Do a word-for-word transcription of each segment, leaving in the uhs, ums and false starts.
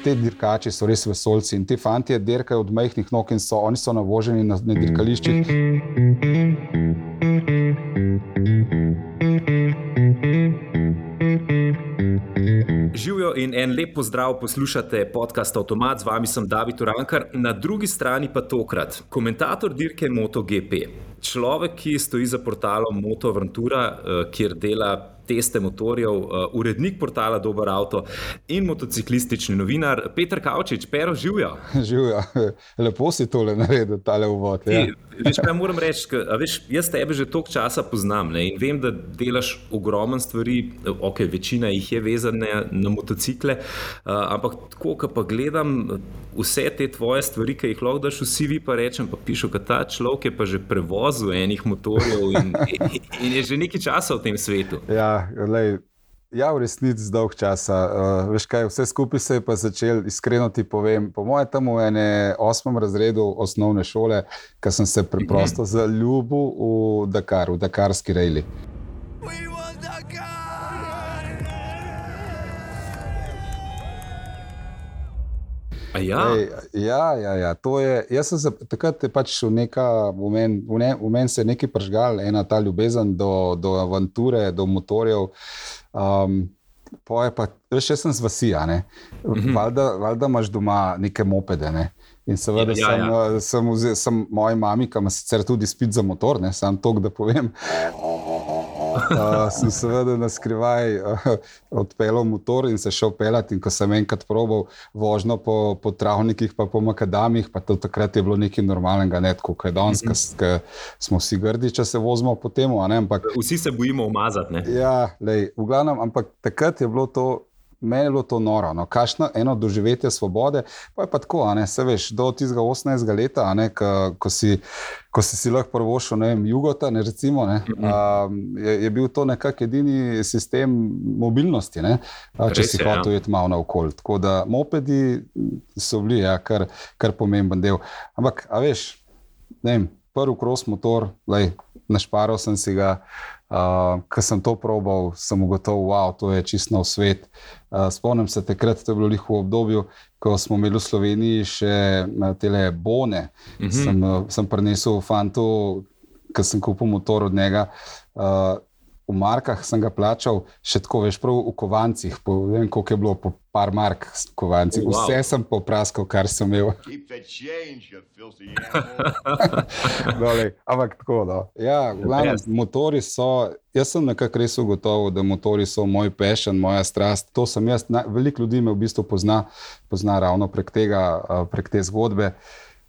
te dirkači so res vesoljci in ti fantje dirkajo od majhnih nog in so, oni so navoženi na, na dirkališčih. Živijo in en lep pozdrav, poslušate podcast Avtomat, z vami sem David Urankar, na drugi strani pa tokrat komentator dirke MotoGP. Človek, ki stoji za portalom MotoAventura, kjer dela teste motorjev, urednik portala Dober Avto in motociklistični novinar Peter Kavčič. Pero, živjo. Živjo. Lepo si tole naredil, tale uvod. Ja. Veš, kaj moram reči, a veš, jaz tebe že toliko časa poznam, ne, in vem, da delaš ogromno stvari, ok, večina jih je vezana na motocikle, ampak tako, ko pa gledam vse te tvoje stvari, ki jih lahko daš v C V, pa rečem, pa pišu, da ta človek je pa že prevozil enih motorjev in, in je že nekaj časa v tem svetu. Ja, lej, ja, v resnici dolg časa. Uh, veš kaj, vse skupaj se je pa začel, iskreno ti povem, po moje tam v ene osmem razredu osnovne šole, ko sem se preprosto mm-hmm. zaljubil v Dakar, v dakarski rejli. Ja? Ej, ja, ja, ja, to je, jaz sem se, takrat je pač v neka, v men, v ne, v men se je nekaj pržgal, ena ta ljubezen do, do avanture, do motorjev, um, pa je pa, veš, jaz sem z vasi, a ne, mm-hmm. valjda, valjda imaš doma neke mopede, ne, in seveda ja, ja, ja. sem, sem, vzel, sem moji mami, ki ima sicer tudi spit za motor, ne, sam tok, da povem, Uh, sem seveda na skrivaj uh, odpeljal motor in se šel peljati, in ko sem enkrat probal vožnjo po, po travnikih pa po makadamih, pa to takrat je bilo nekaj normalnega, ne tako, kaj danes, mm-hmm. ker smo vsi grdi, če se vozimo po temu, a ne, ampak... Vsi se bojimo umazati, ne? Ja, lej, v glavnem, ampak takrat je bilo to, meni je bilo to noro, no, kakšno eno doživetje svobode, pa je pa tako, a ne, se veš, do tistega osemnajstega leta, a ne, ko, ko si ko si si lahko prvošel, ne vem, Jugota, ne, recimo, ne, um, je, je bil to nekak edini sistem mobilnosti, ne, a, če Res si hotel ja. Iti malo naokoli. Tako da mopedi so bili, ja, kar, kar pomemben del. Ampak, a veš, ne vem, prvi cross motor, lej, našparal sem si ga, uh, ko sem to probal, sem ugotovil, wow, to je čisto nov svet. Uh, spomnim se takrat, to je bilo v obdobju, ko smo imeli v Sloveniji še tele bone, mm-hmm. sem, sem prinesel fantu, ko sem kupil motor od njega, uh, v markah sem ga plačal, še tako, veš, prav v kovancih, po, ne vem, koliko je bilo, po par mark kovancih, oh, wow. Vse sem popraskal, kar sem imel. Dole, ampak tako, no. Ja, glavno, motori so, jaz sem nekako res ugotovil, da motori so moj passion, moja strast, to sem jaz, na, veliko ljudi me v bistvu pozna, pozna ravno prek tega, prek te zgodbe.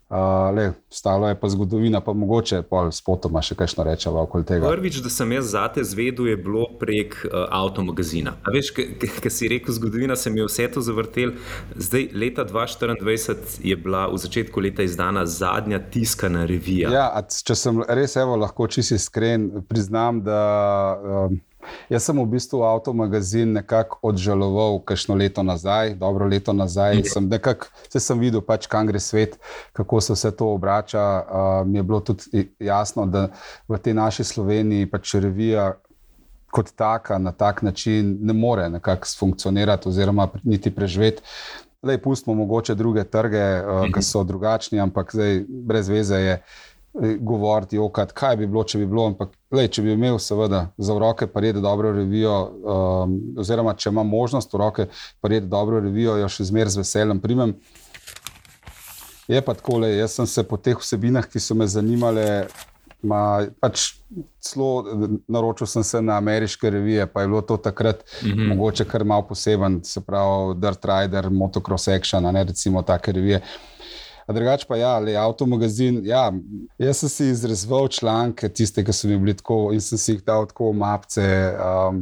Uh, le, stalo je pa zgodovina, pa mogoče pol spotoma še kakšno rečeva okoli tega. Prvič, da sem jaz zate zvedel, je bilo prek uh, avtomagazina. A veš, ker si rekel, zgodovina se mi je vse to zavrtel. Zdaj, leta dva tisoč štiriindvajset je bila v začetku leta izdana zadnja tiskana revija. Ja, če sem res, evo, lahko čisto iskren, priznam, da... Um, Jaz sem v bistvu avtomagazin nekako odžaloval kakšno leto nazaj, dobro leto nazaj, sem nekako, se sem videl pač, kam gre svet, kako se vse to obrača, uh, mi je bilo tudi jasno, da v tej naši Sloveniji pač revija kot taka, na tak način ne more nekako funkcionirati oziroma niti preživeti. Lej, pustimo mogoče druge trge, uh, ki so drugačni, ampak zdaj brez veze je govoriti, okat, kaj bi bilo, če bi bilo, ampak lej, če bi imel seveda za v roke pa redi dobro revijo, um, oziroma če imam možnost v roke pa redi dobro revijo, jo še zmer z veseljem primem. Je pa tako, lej, jaz sem se po teh vsebinah, ki so me zanimale, ma, pač celo naročil sem se na ameriške revije, pa je bilo to takrat mm-hmm. mogoče kar malo poseben, se pravi Dirt Rider, Motocross Action, a ne, recimo take revije. A drugač pa ja, le, avtomagazin, ja, jaz sem si izrezoval članke, tiste, ki so mi bili tako, in sem si jih dal tako v mapce. Um,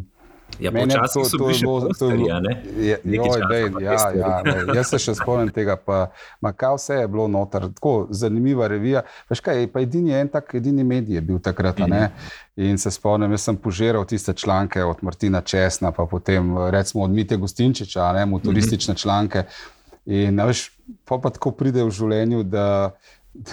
ja, počasih so bili še posteri, a ne? Je, joj, dej, ja, ja, dej, jaz se še spomnim tega, pa makaj vse je bilo noter, tako zanimiva revija. Veš kaj, pa edini en tak, edini medij je bil takrat, a ne? In se spomnim, jaz sem požiral tiste članke od Martina Česna, pa potem recimo od Mite Gustinčiča, a ne, motoristične članke. In veš, pa, pa tako pride v življenju, da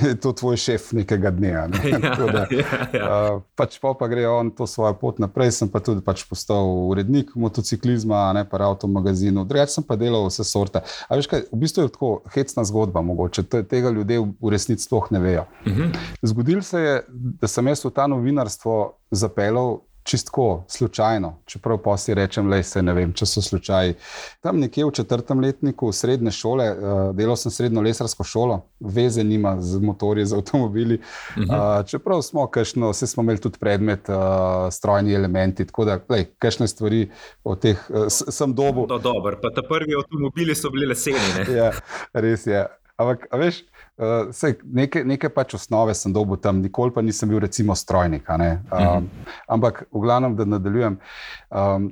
je to tvoj šef nekega dne. Ne? Ja, da, ja, ja. Uh, pač pa, pa gre on to svojo pot naprej, sem pa tudi pač postal urednik motociklizma, ne pa avto magazinu, drugače sem pa delal vse sorte. A veš kaj, v bistvu je tako hecna zgodba mogoče, tega ljudje v resnici sploh ne vejo. Uh-huh. Zgodilo se je, da sem jaz v ta novinarstvo zapeljal čistko, slučajno, čeprav pa si rečem, lej se ne vem, če so slučaji. Tam nekje v četrtem letniku srednje šole, uh, delal sem srednjo lesarsko šolo, veze nima z motorji, z avtomobili, uh-huh. uh, čeprav smo kakšno, vse smo imeli tudi predmet, uh, strojni elementi, tako da, lej, kakšne stvari od teh uh, sem dobil. No, dobro, pa ta prvi avtomobili so bili leseni, ne? Ja, res je. Ampak, a veš, uh, sej, neke, neke pač osnove sem dobil tam, nikoli pa nisem bil recimo strojnik. Um, mm-hmm. Ampak, v glavnem, da nadaljujem, um,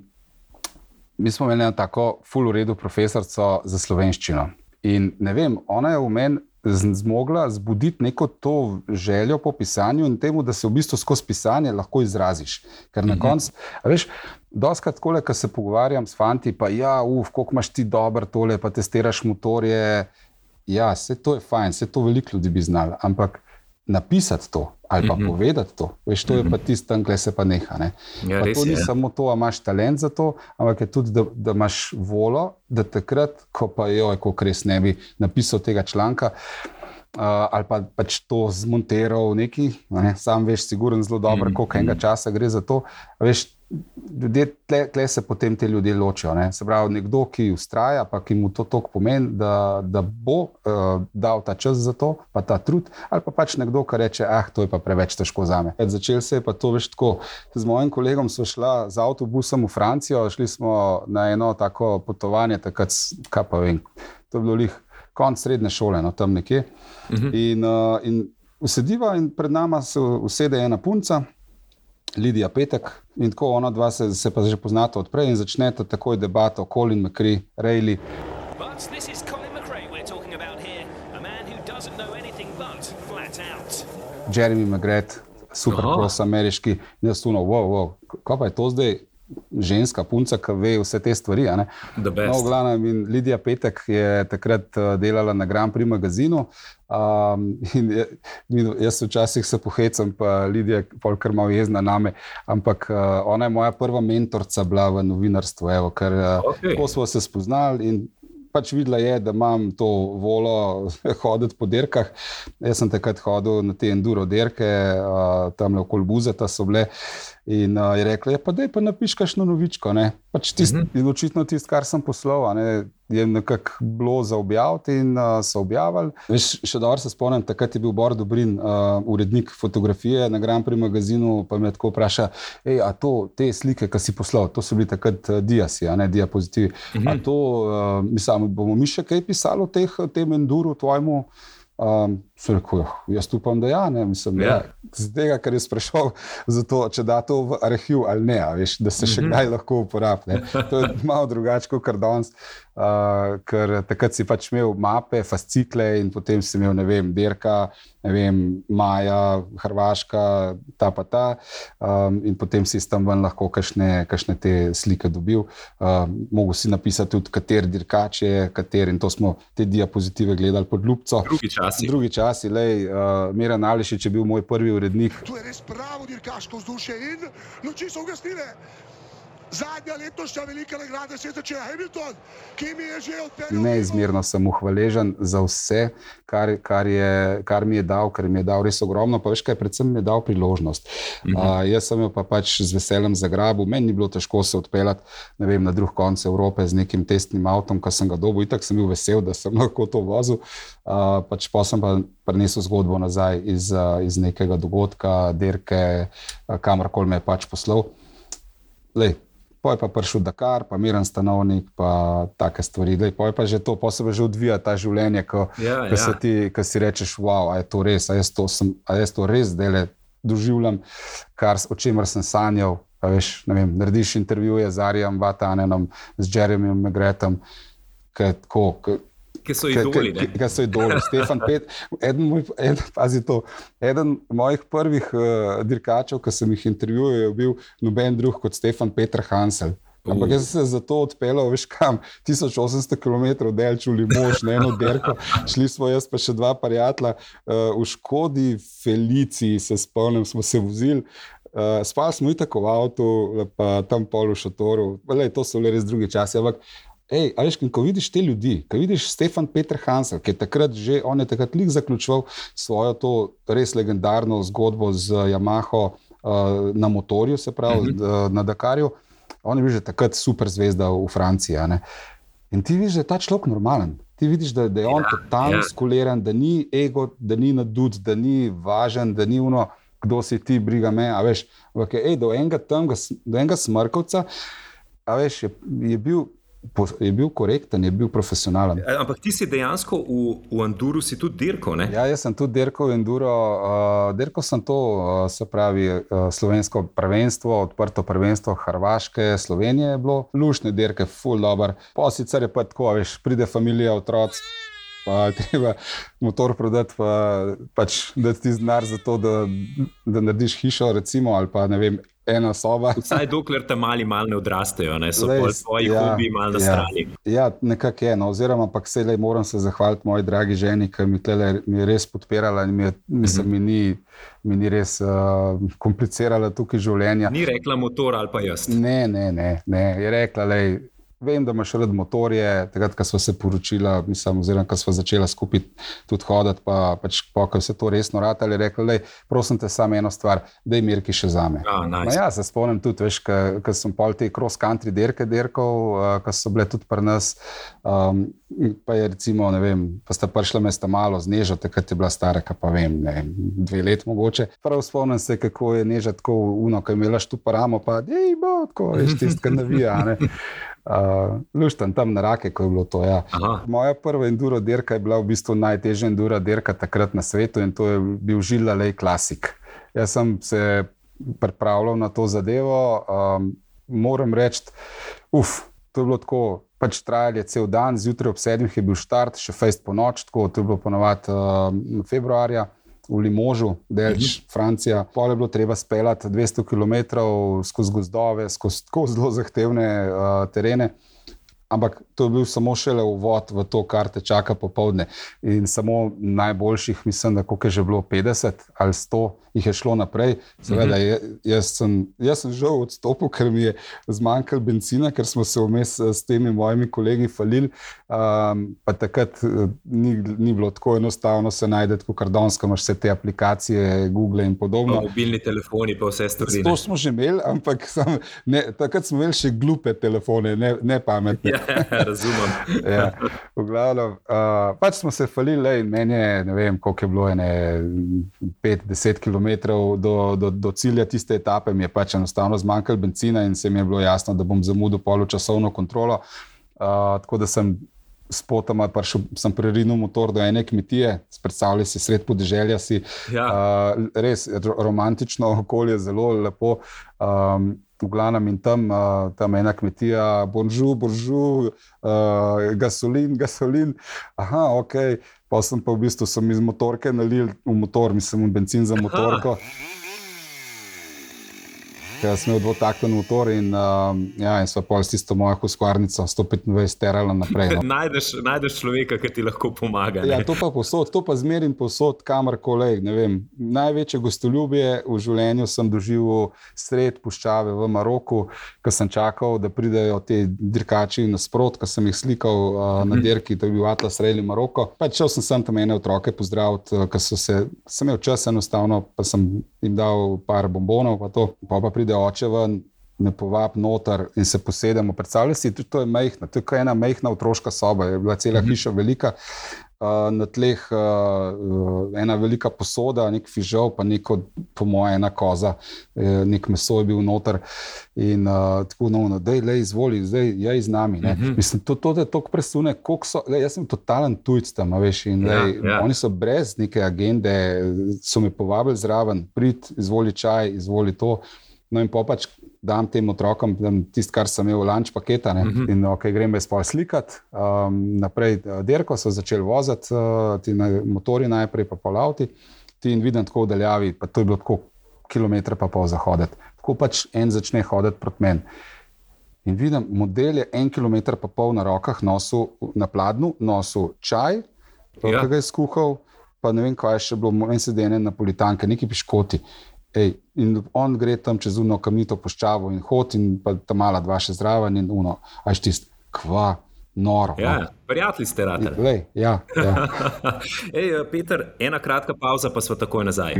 mi smo imeli eno tako ful v redu profesorico za slovenščino. In ne vem, ona je v meni zmogla zbuditi neko to željo po pisanju in temu, da se v bistvu skozi pisanje lahko izraziš. Ker na mm-hmm. koncu, a veš, doskrat takole, ko se pogovarjam s fanti, pa ja, uf, koliko imaš ti dober tole, pa testiraš motorje. Ja, vse to je fajn, vse to veliko ljudi bi znali, ampak napisati to ali pa mm-hmm. povedati to, veš, to je pa tisto tam, kle se pa neha. Ne? Ja, pa to ni je, samo to, a imaš talent za to, ampak je tudi, da, da imaš volo, da takrat, ko pa joj, koliko res ne bi napisal tega članka, uh, ali pa pač to zmonteral neki, ne? Sam veš, siguren zelo dobro, mm-hmm. koliko enega časa gre za to, veš, ljudje, tle, tle se potem te ljudje ločijo. Ne? Se pravi, nekdo, ki ustraja, pa ki mu to toliko pomeni, da, da bo uh, dal ta čas za to, pa ta trud, ali pa pač nekdo, ki reče, ah, to je pa preveč težko zame. Začel se je pa to, veš, tako. Z mojim kolegom smo šla z avtobusom v Francijo, šli smo na eno tako potovanje, takrat, kaj pa vem, to je bilo lih konc srednje šole, no, tam nekje. Uh-huh. In, uh, in usediva in pred nama se usede ena punca, Lidija Petek, in tako ona dva se, se pa že poznata odprej in začneta takoj debato Colin McRae, Rayleigh. But this is Colin McRae we're talking about here, a man who doesn't know anything but flat out. Jeremy McGrath, supercross ameriški, in jaz tuno, wow, wow, kaj pa je to zdaj? Ženska punca, ki ve vse te stvari. A ne? No, v glavnem, in Lidija Petek je takrat delala na Grand Prix magazinu. Um, in je, jaz včasih se pohecam, pa Lidija je polkar malo jezna name, ampak uh, ona je moja prva mentorca bila v novinarstvu, evo, ker uh, okay. Tako smo se spoznali in pač videla je, da imam to volo hoditi po dirkah. Jaz sem takrat hodil na te enduro dirke, uh, tamle okoli Buzeta so bile. In uh, je rekla, ja, pa daj pa napiš kakšno novičko. Ne? Pač tist, mm-hmm. In očitno tisto, kar sem poslal, ne, je nekako bilo za objaviti in uh, so objavili. Veš, še dobro se spomnim, takrat je bil Bor Dobrin, uh, urednik fotografije na Grand Prix magazinu, pa me tako vpraša, ej, a to, te slike, ki si poslal, to so bili takrat uh, diasi, a ne diapozitivi. Mm-hmm. A to, uh, mislim, bomo mi še kaj pisali o teh, tem enduru tvojemu? Um, so rekel, jaz upam, da ja, ne, mislim, ja. Ja, z tega, ker je sprašal za to, če da to v arhiv ali ne, veš, da se še kdaj lahko uporabi. To je malo drugače kot danes, uh, ker takrat si pač imel mape, fascikle in potem si imel, ne vem, dirka, ne vem, Maja, Hrvaška, ta pa ta, um, in potem si tam ven lahko kakšne, kakšne te slike dobil. Um, mogo si napisati tudi, kater dirkač je, kater, in to smo te diapozitive gledali pod ljubco. Drugi časi. Drugi časi, lej, uh, Miran Ališič je bil moj prvi urednik. Tu je res pravo dirkaško vzdušje in noči so ugasnile. Zadnja letošnja velika nagrada se je začela Hamilton, ki mi je že odpeljal. Neizmerno sem mu hvaležen za vse, kar, kar, je, kar mi je dal, kar mi je dal res ogromno, pa veš kaj, predvsem mi je dal priložnost. Mm-hmm. Uh, jaz sem jo pa pač z veseljem zagrabil, meni ni bilo težko se odpeljati, ne vem, na drug konec Evrope z nekim testnim avtom, ko sem ga dobil, itak sem bil vesel, da sem lahko to vozil, uh, pač pa sem pa prinesel zgodbo nazaj iz, uh, iz nekega dogodka, dirke, uh, kamorkoli me je pač poslal. Lej, poj pa prišel Dakar, pa Miran Stanovnik, pa take stvari. Dej, poj pa že to, pa se že odvija ta življenje, ko, ja, ko, ja. Ti, ko si rečeš, wow, a je to res, a jaz to, sem, a jaz to res zdajle doživljam, kar, o čemer sem sanjal. A veš, ne vem, narediš intervjuje z Arijem Vatanenom, z Jeremyjem McGrathom, kako... Ki so idoli, ne? Ki so idoli. Stefan Pet, eden, moj, eden, pazi to, eden mojih prvih uh, dirkačev, ki sem jih intervjuval, je bil noben drug kot Stefan Peter Hansel. Ampak jaz sem se zato odpeljal, veš kam, tisoč osemsto kilometrov delč v Limož, na eno derko, šli smo jaz pa še dva prijatelja, uh, v Škodi Feliciji se spomnim, smo se vozili, uh, spali smo itak v avtu, pa tam pol v šotoru, lej, to so bili res drugi časi, ampak ej, a veš, ko vidiš te ljudi, ko vidiš Stefan Peter Hansel, ki je takrat že, on je takrat lik zaključoval svojo to res legendarno zgodbo z Yamaho uh, na motorju, se pravi, uh-huh. na Dakarju, on je bil že takrat super zvezda v Franciji, a ne? In ti vidiš, da je ta človek normalen. Ti vidiš, da, da je on ja, totalno ja. skuliran, da ni ego, da ni nadud, da ni važen, da ni ono, kdo si ti, briga me, a veš, ampak je, ej, do enega tam, do enega Smrkovca, a veš, je, je bil je bil korekten, je bil profesionalen. Ampak ti si dejansko v, v Enduru si tudi dirkal, ne? Ja, jaz sem tudi dirkal v Enduro. Uh, dirkal sem to, uh, se pravi, uh, slovensko prvenstvo, odprto prvenstvo Hrvaške, Slovenije je bilo. Lušne dirke, ful dober. Pa sicer je pa tako, veš, pride familija, otroci, pa treba motor prodati, pa pač dati ti znar za to, da, da narediš hišo, recimo, ali pa ne vem, ena soba. Vsaj dokler te mali mal ne odrastejo, ne? So pol svoji ja, hobiji mal na ja, strani. Ja, nekako je, no, oziroma pa vselej moram se zahvaliti moji dragi ženi, ki mi, tele, mi je res podpirala in mi, je, mislim, mm-hmm. mi, ni, mi ni res uh, komplicirala tukaj življenja. Ni rekla motor ali pa jaz? Ne, ne, ne, ne. Je rekla, lej, vem, da imaš rad motorje, takrat, ko sva se poročila, mislim, oziroma, ko sva začela skupaj tudi hoditi, pa pač pokaj vse to resno ratali, je rekla, lej, prosim te samo eno stvar, daj Mirki še zame. Ah, nice. No ja, se spomnim tudi, veš, ko sem pol te cross-country dirke dirkal, uh, ko so bile tudi pri nas, um, pa je recimo, ne vem, pa sta prišla mesta malo z Nežo, takrat je bila stara, pa vem, ne, dve let mogoče. Prav spomnim se, kako je Neža tako uno, ko je imela štuparamo, pa dej bo, tako, veš, tistka navija, ne. Uh, luštan tam na Rake, ko je bilo to, ja. Moja prva enduro dirka je bila v bistvu najtežja enduro dirka takrat na svetu in to je bil Gilles Laley Classic. Jaz sem se pripravljal na to zadevo, um, moram reči, uf, to je bilo tako, pač trajal je cel dan, zjutraj ob sedmih je bil štart, še fejst po noč, tako, to je bilo ponovadi uh, februarja, v Limožu, delč, uh-huh. Francija. Pol je bilo treba speljati dvesto kilometrov skozi gozdove, skozi tako zelo zahtevne uh, terene. Ampak to je bil samo šele uvod v to, kar te čaka popoldne. In samo najboljših, mislim, da koliko je že bilo petdeset ali sto, jih je šlo naprej. Seveda, mm-hmm. jaz, sem, jaz sem žal odstopil, ker mi je zmanjkalo bencina, ker smo se vmes s temi mojimi kolegi falili. Um, pa takrat ni, ni bilo tako enostavno se najdeti, ko kardonsko imaš vse te aplikacije, Google in podobno. Pa mobilni telefoni, pa vse stvari. To smo že imeli, ampak sam, ne, takrat smo imeli še glupe telefone, ne, ne pametne. Razumem. Ja, v glavnem, uh, pač smo se falili, lej, meni je, ne vem, koliko je bilo, ene pet do deset kilometrov do, do, do cilja tiste etape, mi je pač enostavno zmanjkalo bencina in se mi je bilo jasno, da bom zamudil poločasovno kontrolo, uh, tako da sem spotoma prišel, sem prerinil motor do ene kmetije, predstavljaj si sred podeželja si, ja. uh, res romantično okolje, zelo lepo, um, v glavnem in tam, uh, tam ena kmetija, bonžu, bonžu, uh, gasolin, gasolin, aha, ok, pa sem pa v bistvu sem iz motorke nalil v motor, mislim, v benzin za motorko. Ker sem imel dvotakten motor in, uh, ja, in sva pol s tisto mojo huskvarnico sto petindvajset terala naprej. No. najdeš, najdeš človeka, ki ti lahko pomaga. Ne? Ja, to pa posod, to pa zmerim posod, kamorkoli, ne vem. Največje gostoljubje v življenju sem doživel sred puščave v Maroku, ko sem čakal, da pridejo te dirkači nasprot, ko sem jih slikal uh, na dirki, to je bil Atlas Rally Maroko. Pa šel sem sem tam ene otroke pozdraviti, ko so se, sem imel čas enostavno, pa sem jim dal par bombonov, pa to, pa pa pride oče ven, me povab noter in se posedemo. Predstavljaj si, to je majhna, to je ena majhna otroška soba, je bila cela hiša velika, uh, na tleh uh, ena velika posoda, nek fižol, pa neko, po moje, ena koza, nek meso je bil noter in uh, tako, no, no, dej, lej, izvoli, zdaj, jej z nami, ne. Mm-hmm. Mislim, to, to te toliko presune, koliko so, lej, jaz sem totalen tujc tam, veš, in lej, ja, ja. Oni so brez neke agende, so me povabili zraven, prid, izvoli čaj, izvoli to. No in pa pač dam tem otrokom tisto, kar sem imel v lunch paketa, ne? Mm-hmm. In ok, grem bez pol slikati. Um, naprej dirko so začeli voziti, uh, ti na, motori najprej, pa pol avti. Ti in vidim tako v daljavi, pa to je bilo tako kilometre pa pol zahoditi. Tako pač en začne hoditi proti meni. In vidim, model je en kilometer pa pol na rokah nosil, na pladnju, nosil čaj, ja. ki ga je skuhal, pa ne vem, kaj je še bilo, meni se dene napolitanke, neki piškoti. Ej, in on gre tam čez uno kamnito puščavo in hod in pa ta mala dva še zraven in uno, a je tist, kva, noro. Ja, no. Prijatelji ste ratali. Lej, ja, ja. Ej, Peter, ena kratka pauza, pa sva takoj nazaj.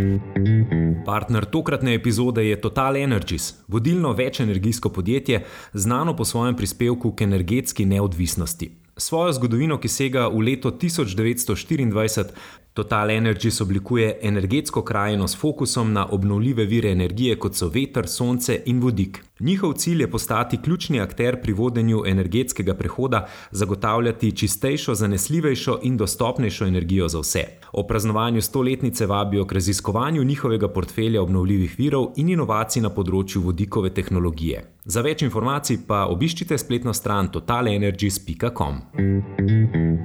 Partner tokratne epizode je Total Energies, vodilno večenergijsko podjetje, znano po svojem prispevku k energetski neodvisnosti. Svojo zgodovino, ki sega v leto tisoč devetsto štiriindvajset, Total Energies oblikuje energetsko krajino s fokusom na obnovljive vire energije, kot so veter, sonce in vodik. Njihov cilj je postati ključni akter pri vodenju energetskega prehoda, zagotavljati čistejšo, zanesljivejšo in dostopnejšo energijo za vse. O praznovanju stoletnice vabijo k raziskovanju njihovega portfelja obnovljivih virov in inovacij na področju vodikove tehnologije. Za več informacij pa obiščite spletno stran total energies pika com.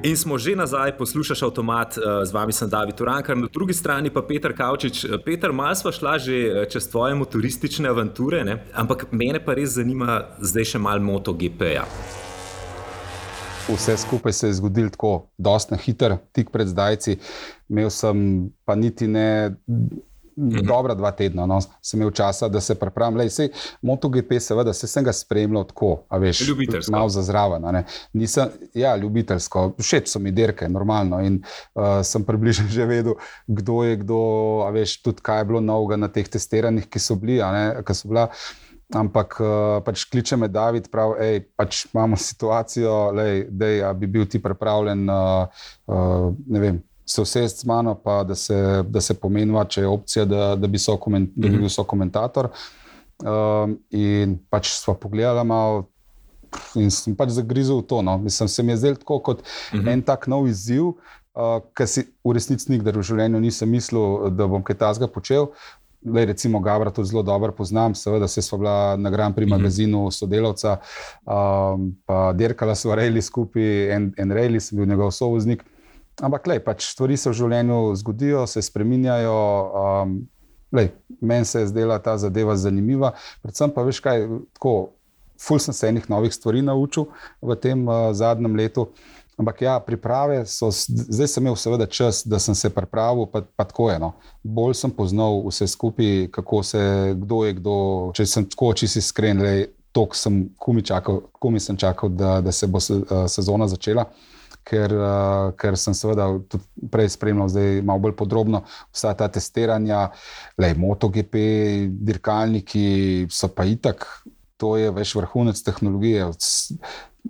In smo že nazaj, poslušaš Avtomat, z vami sem David Urankar, na drugi strani pa Peter Kavčič. Peter, malo sva šla že čez tvoje motoristične avanture, ne? Ampak mene pa res zanima zdaj še malo MotoGP-ja. Vse skupaj se je zgodilo tako, dosti na hiter, tik pred zdajci. Imel sem pa niti ne mm-hmm. dobra dva tedna, no, sem imel časa, da se pripravim. Lej, sej, MotoGP seveda, se sem ga spremljal tako, a veš, malo za zraven. Nisem, ja, ljubiteljsko, všeč so mi dirke, normalno, in uh, sem približno že vedel, kdo je kdo, a veš, tudi kaj je bilo novega na teh testiranjih, ki so bili, a ne, ki so bila. Ampak uh, pač kliče me David, prav, ej, pač imamo situacijo, lej, dej, a bi bil ti pripravljen, uh, uh, ne vem, se usesti z mano, pa da se, da se pomeniva, če je opcija, da, da, bi, so koment, da bi bil sokomentator. Um, in pač sva pogledala malo in sem pač zagrizel v to. No. Mislim, se mi je zdel tako kot uh-huh. en tak nov izziv, uh, ki si v resnici nikdar v življenju nisem mislil, da bom kaj takega počel. Lej, recimo Gabra tudi zelo dobro poznam, seveda se sva bila na Grand Prix magazinu sodelavca, um, pa dirkala sva rejli skupaj, en, en rejli sem bil njegov sovoznik. Ampak lej, pač stvari se v življenju zgodijo, se spreminjajo, um, lej, meni se je zdela ta zadeva zanimiva, predvsem pa veš kaj, tako, ful sem se enih novih stvari naučil v tem uh, zadnjem letu. Ampak ja, priprave so, zdaj sem imel seveda čas, da sem se pripravil, pa, pa tako je, no. Bolj sem poznal vse skupaj, kako se, kdo je kdo, če sem tako, če si iskren, lej, toliko sem, kumi čakal, kumi sem čakal, da, da se bo se, uh, sezona začela, ker, uh, ker sem seveda tudi prej spremljal zdaj malo bolj podrobno vsa ta testiranja, lej, MotoGP, dirkalniki so pa itak, to je veš vrhunec tehnologije,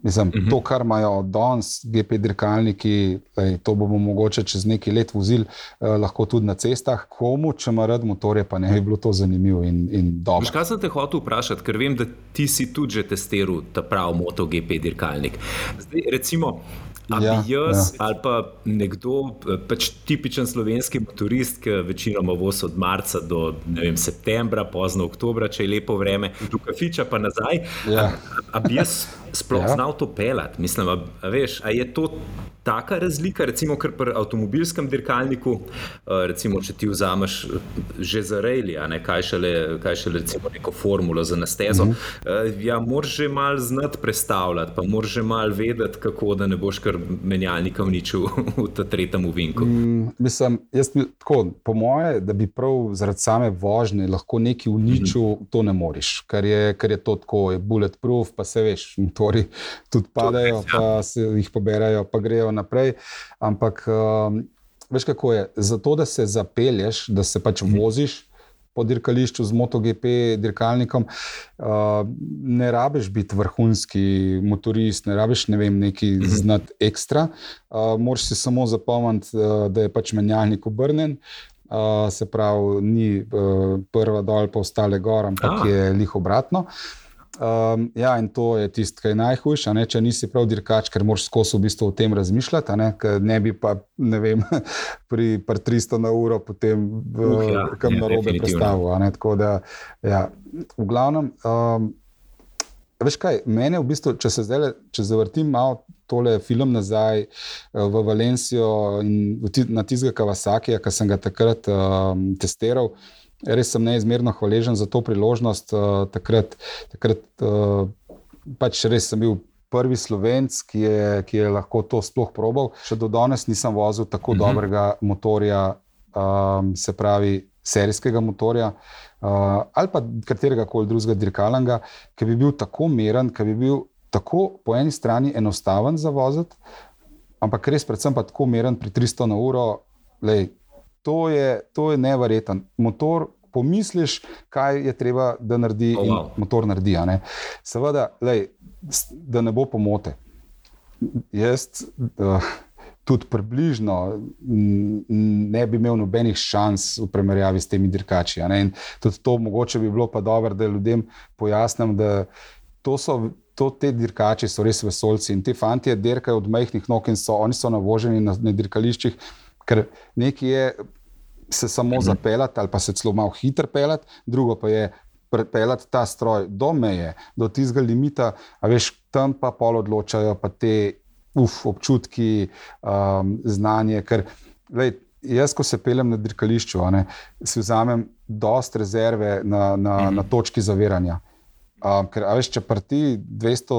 mislim, uh-huh. to, kar imajo danes G P dirkalniki, lej, to bomo mogoče čez nekaj let vozili, eh, lahko tudi na cestah. Komu, če ima rad motorje, pa ne bi bilo to zanimivo in, in dobro. Kaj sem te hotel vprašati, ker vem, da ti si tudi že testiral ta prav MotoGP dirkalnik. Zdaj, recimo, a bi ja, jaz ja. ali pa nekdo, pač tipičen slovenski motorist, ki večinoma vozi od marca do, ne vem, septembra, pozno oktobra, če je lepo vreme, do kafiča pa nazaj, ja. a, a bi jaz sploh ja. znal to pelati? Mislim, a, a veš, a je to taka razlika, recimo, kar pri avtomobilskem dirkalniku, recimo, če ti vzameš že za rejli, a ne, kaj šele, kaj šele recimo neko formulo za nastezo, mm-hmm. ja, moraš že malo znati prestavljati, pa moraš že malo vedeti, kako, da ne boš kar menjalnika uničil v ta tretjem uvinku. Mm, mislim, jaz mi, tako, po moje, da bi prav zaradi same vožnje lahko nekaj uničil, mm-hmm. to ne moreš, ker je, ker je to tako, je bulletproof, pa se veš, motori tudi padajo, res, ja. pa se jih poberajo, pa grejo naprej, ampak um, veš kako je, zato da se zapelješ, da se pač voziš po dirkališču z MotoGP dirkalnikom, uh, ne rabiš biti vrhunski motorist, ne rabiš, ne vem, neki znati ekstra, uh, moraš si samo zapomniti, uh, da je pač menjalnik obrnen, uh, se pravi, ni uh, prva dol pa ostale gor, ampak ah. je lih obratno. Um, ja, in to je tisto, kar je najhujše, ne, če nisi prav dirkač, ker moraš skozi v bistvu o tem razmišljati, ne, ker ne bi pa, ne vem, pri, pri tristo na uro potem v, uh, ja, kam ja, narobe prestavil, ne, tako da, ja, v glavnem, um, veš kaj, mene v bistvu, če se zdaj, če zavrtim malo tole film nazaj v Valencijo in na tistega Kawasakija, ki sem ga takrat um, testiral, res sem neizmerno hvaležen za to priložnost. Uh, takrat takrat uh, pač res sem bil prvi Slovenc, ki je, ki je lahko to sploh probal. Še do danes nisem vozil tako uh-huh. dobrega motorja, um, se pravi serijskega motorja, uh, ali pa katerega koli drugega dirkalnega, ki bi bil tako meren, ki bi bil tako po eni strani enostaven za voziti, ampak res predvsem pa tako meren pri tristo na uro, lej, to je, to je neverjeten. Motor, pomisliš, kaj je treba, da naredi oh, wow. in motor naredi. A ne? Seveda, lej, da ne bo pomote. Jaz uh, tudi približno ne bi imel nobenih šans v primerjavi s temi dirkači. A ne? In tudi to mogoče bi bilo pa dobro, da ljudem pojasnim, da to so To, te dirkači so res vesoljci in te fantje dirkajo od majhnih nog in so, oni so navoženi na, na dirkališčih, ker nekaj je se samo mhm. zapeljati ali pa se celo malo hitro peljati, drugo pa je peljati ta stroj do meje, do tistega limita, a veš, tam pa pol odločajo pa te uf, občutki, um, znanje, ker lej, jaz, ko se peljem na dirkališču, a ne, si vzamem dost rezerve na, na, mhm. na točki zaviranja. Um, ker, a veš, če prti dvesto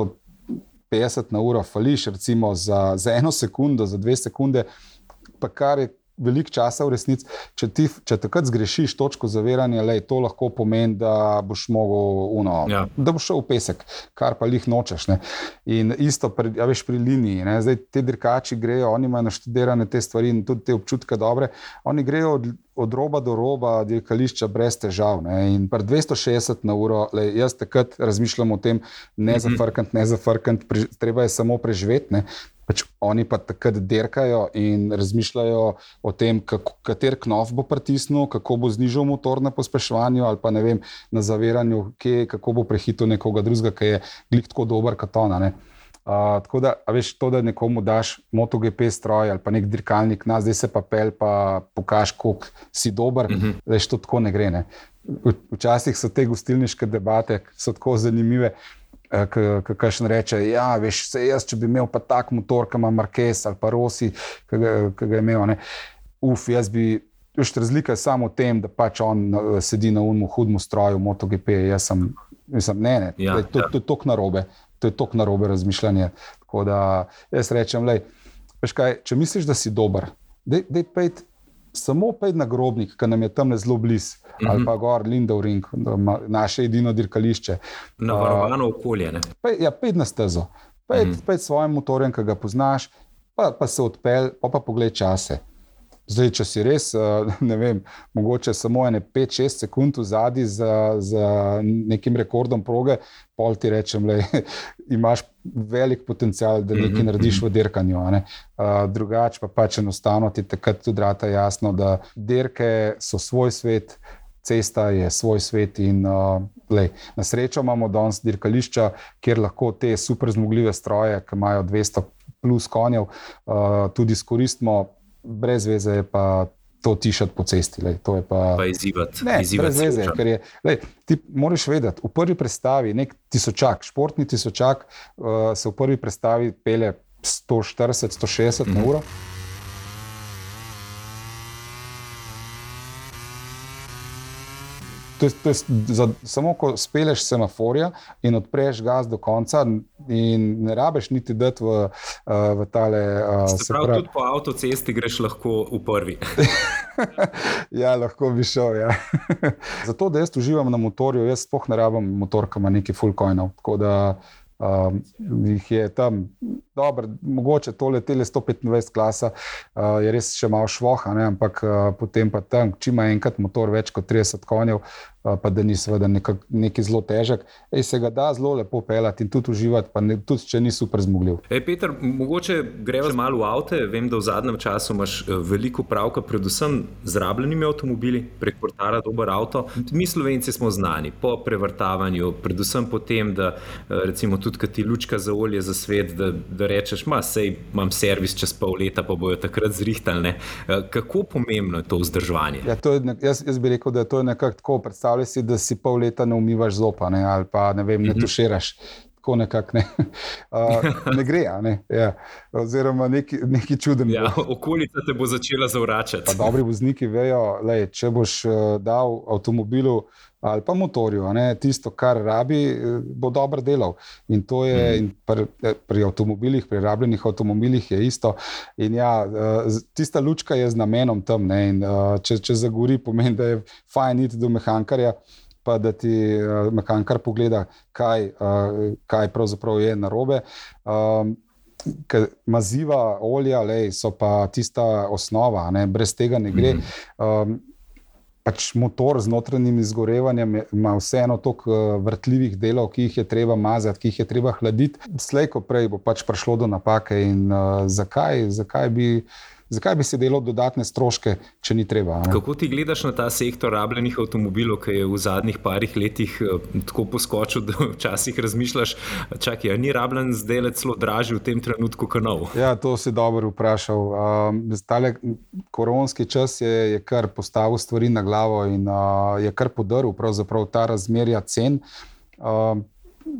petdeset na uro fališ, recimo za, za eno sekundo, za dve sekunde, pa kar je veliko časa v resnici, če, ti, če takrat zgrešiš točko zaviranja, lej, to lahko pomeni, da boš mogel uno, ja. da boš šel v pesek, kar pa lih nočeš. Ne? In isto, pri, a veš, pri liniji, ne? Zdaj te dirkači grejo, oni imajo naštudirane te stvari in tudi te občutke dobre, oni grejo od od roba do roba dirkališča brez težav. Ne? In pri dvesto šestdeset na uro, lej, jaz takrat razmišljam o tem, ne zafrkant, ne zafrkant, pre, treba je samo preživeti. Ne? Pač oni pa takrat dirkajo in razmišljajo o tem, kako, kater knof bo pritisnil, kako bo znižal motor na pospeševanju ali pa ne vem, na zaviranju, kje, kako bo prehitil nekoga drugega, ki je glih tako dober kot ona. Ne? Uh, tako da, a veš, to, da nekomu daš MotoGP stroj ali pa nek dirkalnik, na zdaj se pa pel, pa pokaž, koliko si dober, uh-huh. veš, to tako ne gre. Ne? Včasih so te gostilniške debate, so tako zanimive, kakšen reče, ja, veš, se jaz, če bi imel pa tak motor, ki ima Marquez ali pa Rossi, ki ga, ki ga je imel, ne? Uf, jaz bi, veš, razlika je samo v tem, da pač on sedi na unmu hudmu stroju MotoGP, jaz sem, mislim, ne, ne, ja, to, ja. to, to je tok narobe. To je toliko narobe razmišljanje. Tako da jaz rečem, lej, veš kaj, če misliš, da si dober, dej, dej pejt, samo pejt na Grobnik, ki nam je tam zelo bliz, mm-hmm. ali pa gor Lindauring, naše edino dirkališče. Navarovano okolje, ne? Pej, ja, pejt na stezo. Pejt, mm-hmm. pejt svojim motorjem, ki ga poznaš, pa, pa se odpelj, pa pa pogled čase. Zdaj, če si res, ne vem, mogoče samo ene pet šest sekund vzadi za, za nekim rekordom proge, pol ti rečem, lej, imaš velik potencial, da nekaj mm-hmm. narediš v dirkanju. A ne? Uh, drugače pa pač enostavno ti takrat tudi rata jasno, da dirke so svoj svet, cesta je svoj svet in uh, lej, na srečo imamo danes dirkališča, kjer lahko te super zmogljive stroje, ki imajo dvesto plus konjev, uh, tudi izkoristimo. Brez veze je pa to tišati po cesti. Lej, to je pa... Pa izzivati. Ne, izzivati brez veze, ker je... Lej, ti moraš vedeti, v prvi predstavi nek tisočak, športni tisočak, uh, se v prvi predstavi pelje sto štirideset do sto šestdeset mm-hmm. na uro. To je, to je za, samo ko speleš semaforja in odpreš gas do konca in ne rabeš niti dati v, v tale... Se pravi, pravi, tudi po avtocesti greš lahko v prvi. Ja, lahko bi šel, ja. Zato, da jaz uživam na motorju, jaz sploh ne rabim motor, ki ima nekaj full coinov, tako da um, jih je tam dobro, mogoče tole tele sto petindvajset klasa uh, je res še malo švoha, ne? Ampak uh, potem pa tam, če ima enkrat motor več kot trideset konjev, uh, pa da ni seveda nekaj zelo težek, ej, se ga da zelo lepo pelati in tudi uživati, pa ne, tudi če ni super zmogljiv. Ej, Peter, mogoče greva malo v avte, vem, da v zadnjem času imaš veliko pravka, predvsem z rabljenimi avtomobili, prek portala Dober avto. Mi Slovenci smo znani po prevrtavanju, predvsem po tem, da recimo tudi, kad ti lučka za olje za svet, da, da rečeš, ma, sej imam servis čez pol leta, pa bojo takrat zrihtali, ne. Kako pomembno je to vzdrževanje? Ja, to je, jaz, jaz bi rekel, da je to nekako tako, predstavljaj si, da si pol leta ne umivaš zopa, ne, ali pa ne vem, ne tuširaš. tako nekako ne, uh, ne gre, ne, ja. Oziroma neki, neki čuden. Ja, okolica te bo začela zavračati. Pa dobri vozniki vejo, lej, če boš uh, dal avtomobilu ali pa motorju, ne, tisto, kar rabi, bo dobro delal. In to je mm. in pri, pri avtomobilih, pri rabljenih avtomobilih je isto. In ja, tista lučka je z namenom tam. Ne, in, če, če zagori, pomeni, da je fajn iti do mehankarja, pa da ti mehankar pogleda, kaj, kaj pravzaprav je narobe. Maziva, olja, lej, so pa tista osnova, ne, brez tega ne gre. Mm. Pač motor z notranjim izgorevanjem ima vseeno toliko vrtljivih delov, ki jih je treba mazati, ki jih je treba hladiti. Slej ko prej bo pač prišlo do napake in uh, zakaj, zakaj bi Zakaj bi se delal dodatne stroške, če ni treba? Ne? Kako ti gledaš na ta sektor rabljenih avtomobilov, ki je v zadnjih parih letih tako poskočil, da včasih razmišljaš, čakaj, a ni rabljen zdaj celo dražji v tem trenutku kot nov? Ja, to si dobro vprašal. Um, tale koronski čas je, je kar postavil stvari na glavo in uh, je kar podaril pravzaprav ta razmerja cen. Um,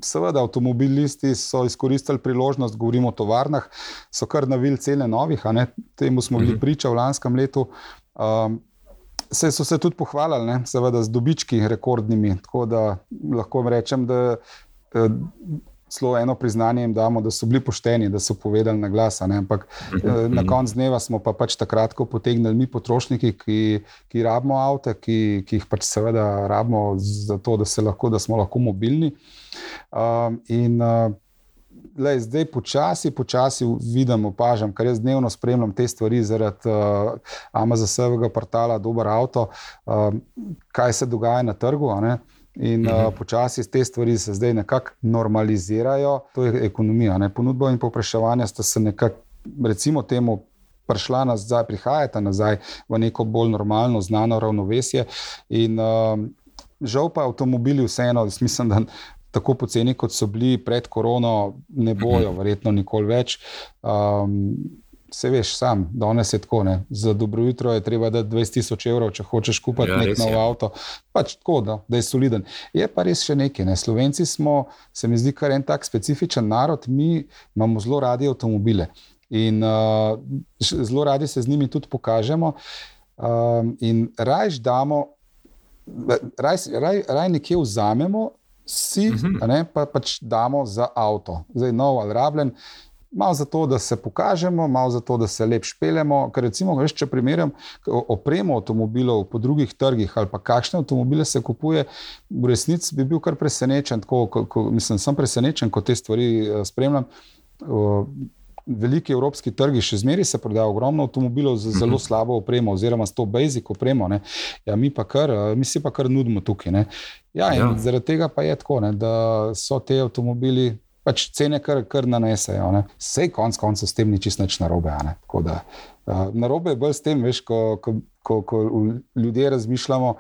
Seveda, avtomobilisti so izkoristili priložnost, govorimo o tovarnah, so kar navili cene novih, a ne? Temu smo bili priča v lanskem letu. Um, se so se tudi pohvalili, ne? Seveda z dobički rekordnimi, tako da lahko rečem, da eh, celo eno priznanje jim damo, da so bili pošteni, da so povedali na glas, a ne? Ampak eh, na konc dneva smo pa pač takrat, ko potegnili mi potrošniki, ki, ki rabimo avte, ki, ki jih pač seveda rabimo zato, da, se lahko, da smo lahko mobilni. Um, in uh, lej, zdaj počasi, počasi vidim, opažam, ker jaz dnevno spremljam te stvari zaradi uh, Amazon-sevega portala Dober avto, uh, kaj se dogaja na trgu, a ne? In uh, počasi te stvari se zdaj nekako normalizirajo. To je ekonomija, ne? Ponudba in povpraševanje sta se nekako, recimo temu, prišla nazaj, prihajata nazaj v neko bolj normalno, znano ravnovesje. In uh, žal pa avtomobili vseeno, mislim, da tako poceni, kot so bili pred korono, ne bojo verjetno nikoli več. Um, se veš sam, danes je tako, ne. Za dobro jutro je treba dati dvajset tisoč evrov, če hočeš kupiti ja, nek nov je. Avto. Pač tako, da, da je soliden. Je pa res še nekaj, ne. Slovenci smo, se mi zdi, kar en tak specifičen narod, mi imamo zelo radi avtomobile. In uh, zelo radi se z njimi tudi pokažemo. Um, in rajš damo, raj, raj, raj nekje vzamemo, si, uh-huh. a ne, pa pač damo za avto. Zdaj nov ali rabljen, malo zato, da se pokažemo, malo zato, da se lep špeljemo, ker recimo, veš, če primerjam opremo avtomobilov po drugih trgih ali pa kakšne avtomobile se kupuje, v resnici bi bil kar presenečen, tako, ko, ko, mislim, sem presenečen, ko te stvari spremljam. Veliki evropski trgi še zmeri se prodajo ogromno avtomobilov z zelo slabo opremo oziroma s to basic opremo, ne. Ja, mi pa kar, mi si pa kar nudimo tukaj, ne. Ja, in ja. Zaradi tega pa je tako, ne, da so te avtomobili pač cene kar, kar nanesejo, ne. Sej konc koncev s tem ni čisto nič narobe, ne. Tako da, uh, narobe je bolj s tem, veš, ko, ko, ko, ko ljudje razmišljamo,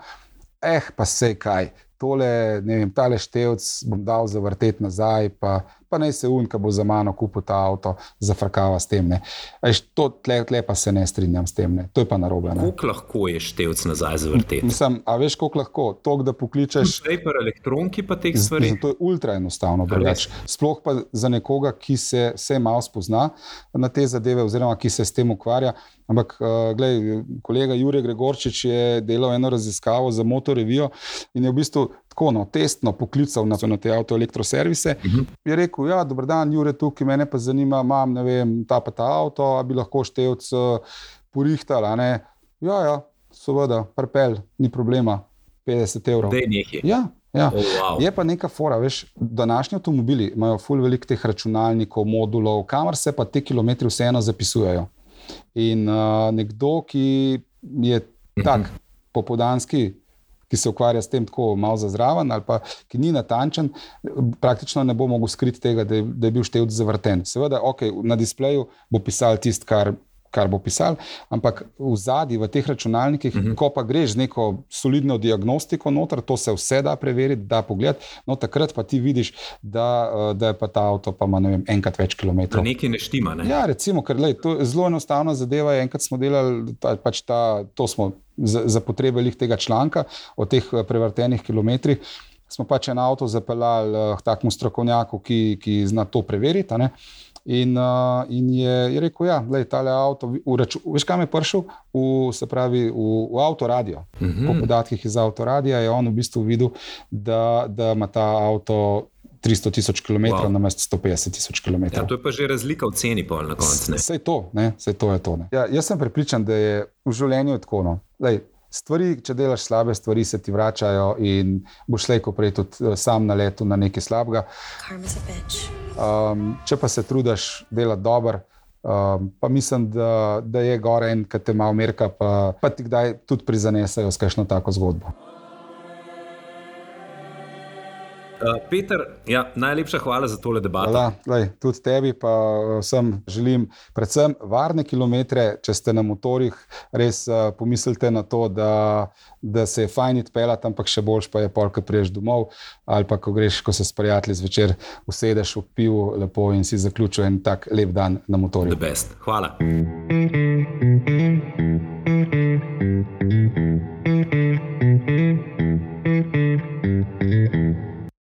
eh, pa sej kaj, tole, ne vem, tale števc bom dal zavrteti nazaj, pa pa naj se un, ko bo za mano kupil ta avto, zafrkava s tem, ne. Eš, to tle, tle pa se ne strinjam s tem, ne. To je pa narobe, ne. Koliko lahko je števc nazaj zavrteti? Mislim, a veš, koliko lahko? Tok, da pokličeš... Zdaj pa elektronki pa teh stvari? To je ultra enostavno drugače. Sploh pa za nekoga, ki se, se malo spozna na te zadeve, oziroma ki se s tem ukvarja. Ampak, uh, glej, kolega Jure Gregorčič je delal eno raziskavo za Motor Revio in je v bistvu tako, no, testno poklical na, na te avtoelektroservise. Uh-huh. Je rekel, ja, dober dan, Jure, tukaj, mene pa zanima, imam, ne vem, ta pa ta avto, a bi lahko števc uh, porihtal, a ne? Ja, ja, seveda, pripelj, ni problema, petdeset evrov. Dej nekaj. Ja, ja. Oh, wow. Je pa neka fora, veš, današnji avtomobili imajo ful veliko teh računalnikov, modulov, kamor se pa te kilometri vseeno zapisujejo. In uh, nekdo, ki je tak popoldanski, ki se ukvarja s tem tako malo zazraven ali pa ki ni natančen, praktično ne bo mogel skriti tega, da je, da je bil števc zavrten. Seveda, ok, na displeju bo pisal tist, kar, kar bo pisal, ampak v zadnji, v teh računalnikih, uh-huh. ko pa greš z neko solidno diagnostiko noter, to se vse da preveriti, da pogledati, no takrat pa ti vidiš, da, da je pa ta avto pa ima, ne vem, enkrat več kilometrov. Da nekaj ne štima, ne? Ja, recimo, ker lej, to je zelo enostavna zadeva, enkrat smo delali, ta, pač ta, to smo za, za potrebe lih tega članka o teh prevrtenih kilometrih, smo pač en avto zapeljali k takemu strokovnjaku, ki, ki zna to preveriti. A ne? In, uh, in je, je rekel, ja, lej, tale avto, uraču, veš kam je prišel? V, se pravi, v, v avtoradio. Mm-hmm. Po podatkih iz avtoradija je on v bistvu videl, da, da ima ta avto tristo tisoč kilometrov wow. namesto sto petdeset tisoč kilometrov. Ja, to je pa že razlika v ceni pol na koncu. Sej to, ne, sej to je to. Ne. Ja, jaz sem prepričan, da je v življenju tako, no. Lej, stvari, če delaš slabe stvari, se ti vračajo in boš slej ko prej tudi sam na letu na nekaj slabega. Um, če pa se trudiš delati dobro, um, pa mislim, da, da je gore en, ki te malo merka, pa, pa ti kdaj tudi prizanesajo s kakšno tako zgodbo. Uh, Peter, ja, najlepša hvala za tole debato. Hvala, lej, tudi tebi pa vsem želim predvsem varne kilometre, če ste na motorjih, res uh, pomislite na to, da, da se je fajn odpeljati, ampak še boljš pa je pol, ko priješ domov, ali pa ko greš, ko se s prijatelji zvečer usedeš v pivu lepo in si zaključil en tak lep dan na motorju. The best. Hvala.